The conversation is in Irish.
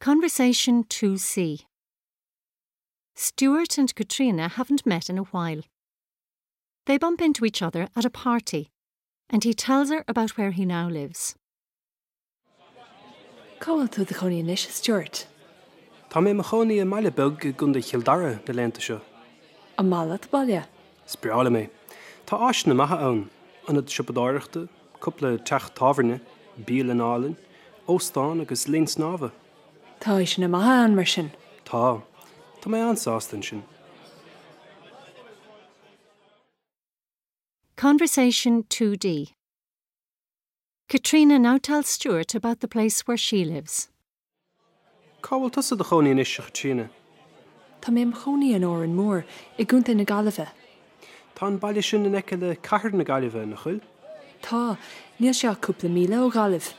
Conversation 2C Stuart and Katrina haven't met in a while. They bump into each other at a party, and he tells her about where he now lives. Cá bhfuil tú i do chónaí anois, a Stuart? Tá mé i mo chónaí i mbaile beag i gContae Chill Dara na laethanta seo. An maith leat an baile? Is breá liom é. Tá áiseanna maithe ann, ionad siopadóireachta, cúpla teach tábhairne, bialann álainn, óstán agus linn snámha. Tá áiseanna maithe ann, mar sin? Tá. Tá mé an-sásta ansin. Conversation 2D Katrina now tells Stuart about the place where she lives. Cá bhfuil tusa i do chónaí anois, a Chaitríona? Tá mé i mo chónaí in Árainn Mhór, i gContae na Gaillimhe. Tá an baile sin in aice le cathair na Gaillimhe, nach bhfuil? Tá, níl sé ach cúpla míle ó Ghaillimh.